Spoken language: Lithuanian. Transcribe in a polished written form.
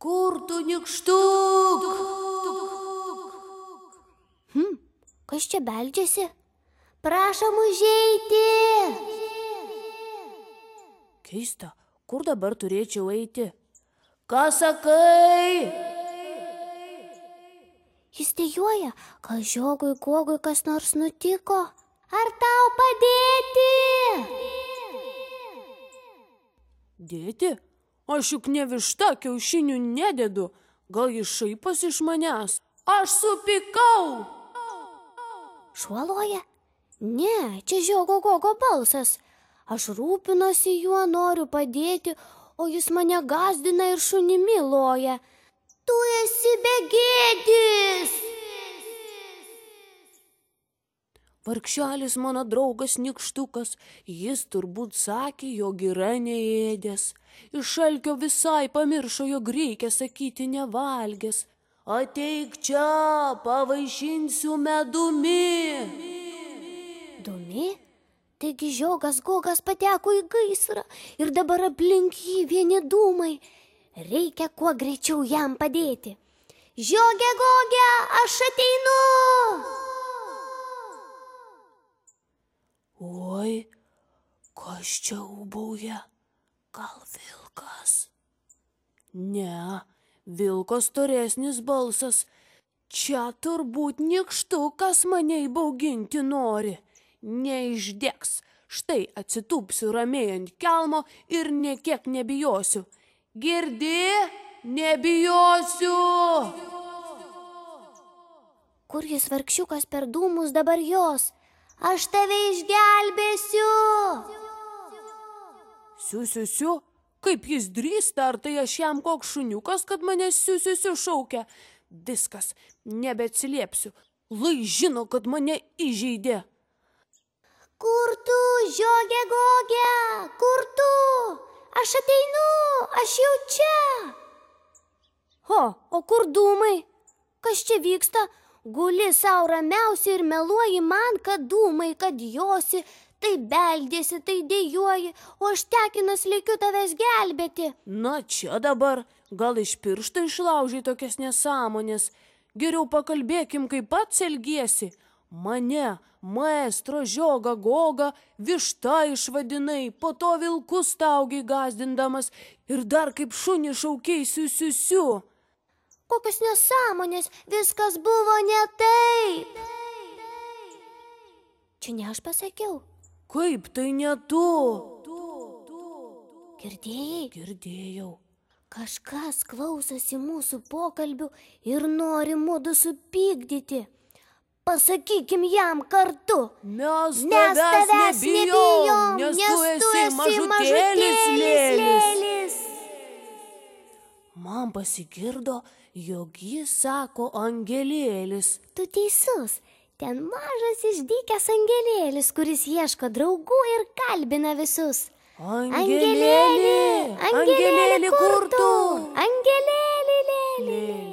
Kur tu, nykštuk? Kas čia beldžiasi? Prašom užeiti. Keista, kur dabar turėčiau eiti? Ką sakai? Jis dejuoja, kad žiogui Gogui kas nors nutiko. Ar tau padėti? Dėti? Aš juk ne višta, kiaušinių nededu. Gal jis šaiposi iš manęs? Aš supykau. Šuo loja? Ne, čia žiogo Gogo balsas. Aš rūpinuosi juo, noriu padėti, o jis mane gąsdina ir šunimi loja. Tu esi begėdis. Vargšelis mano draugas nykštukas, jis turbūt sakė, jog yra neėdęs. Iš alkio visai pamiršo, jog reikia sakyti nevalgęs. Ateik čia, pavaišinsiu medumi. Dumi? Taigi žiogas Gogas pateko į gaisrą ir dabar aplink jį vieni dūmai. Reikia kuo greičiau jam padėti. Žioge Goge, aš ateinu! Oi, kas čia ūbauja? Gal vilkas? Ne, vilko storesnis balsas. Čia turbūt nykštukas mane įbauginti nori. Neišdegs. Štai atsitūpsiu ramiai ant kelmo ir nė kiek nebijosiu. Girdi? Nebijosiu! Kur jis vargšiukas per dūmus dabar jos? Aš tave išgelbėsiu! Siu. Kaip jis drįsta, ar tai aš jam koks šuniukas, kad mane siu šaukia? Viskas, nebeatsiliepsiu. Lai žino, kad mane įžeidė. Kur tu, žioge Goge? Kur tu? Aš ateinu, aš jau čia. O kur dūmai? Kas čia vyksta? Guli sau ramiausiai ir meluoji man, kad dūmai, kad josi, tai beldėsi, tai dejuoji, o aš tekinas lėkiu tavęs gelbėti. Na čia dabar, gal iš piršto išlaužai tokias nesąmonės. Geriau pakalbėkim, kaip pats elgiesi. Mane, maestro žiogą Gogą, višta išvadinai, po to vilkus taugiai gąsdindamas ir dar kaip šunį šaukiai siu. Kokios nesąmonės, viskas buvo ne taip. Čia ne aš pasakiau. Kaip tai ne tu? Girdėjai? Girdėjau. Kažkas klausosi mūsų pokalbių ir nori mudu supykdyti. Pasakykim jam kartu. Mes tavęs nebijom, nes tu esi mažutėlis lėlis. Man pasigirdo, jog jis sako angelėlis. Tu teisus, ten mažas išdykęs angelėlis, kuris ieško draugų ir kalbina visus. Angelėli, kur tu? Angelėli, lėli.